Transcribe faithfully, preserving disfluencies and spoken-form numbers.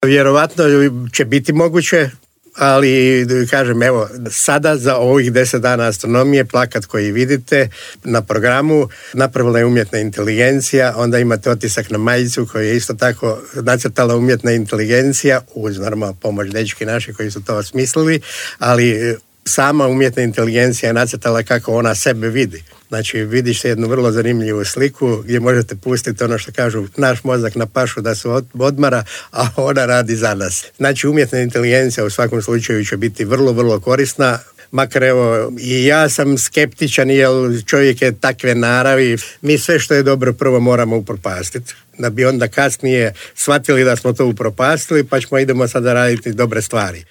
Vjerovatno će biti moguće, ali kažem, evo, sada za ovih deset dana astronomije plakat koji vidite na programu napravila je umjetna inteligencija, onda imate otisak na majicu koji je isto tako nacrtala umjetna inteligencija uz normalno pomoć dečki naši koji su to osmislili, ali sama umjetna inteligencija je nacrtala kako ona sebe vidi. Znači, vidiš se jednu vrlo zanimljivu sliku gdje možete pustiti ono što kažu naš mozak na pašu da se odmara, a ona radi za nas. Znači, umjetna inteligencija u svakom slučaju će biti vrlo, vrlo korisna. Makar evo, i ja sam skeptičan jer čovjek je takve naravi. Mi sve što je dobro prvo moramo upropastiti, da bi onda kasnije shvatili da smo to upropastili, pa ćemo idemo sada raditi dobre stvari.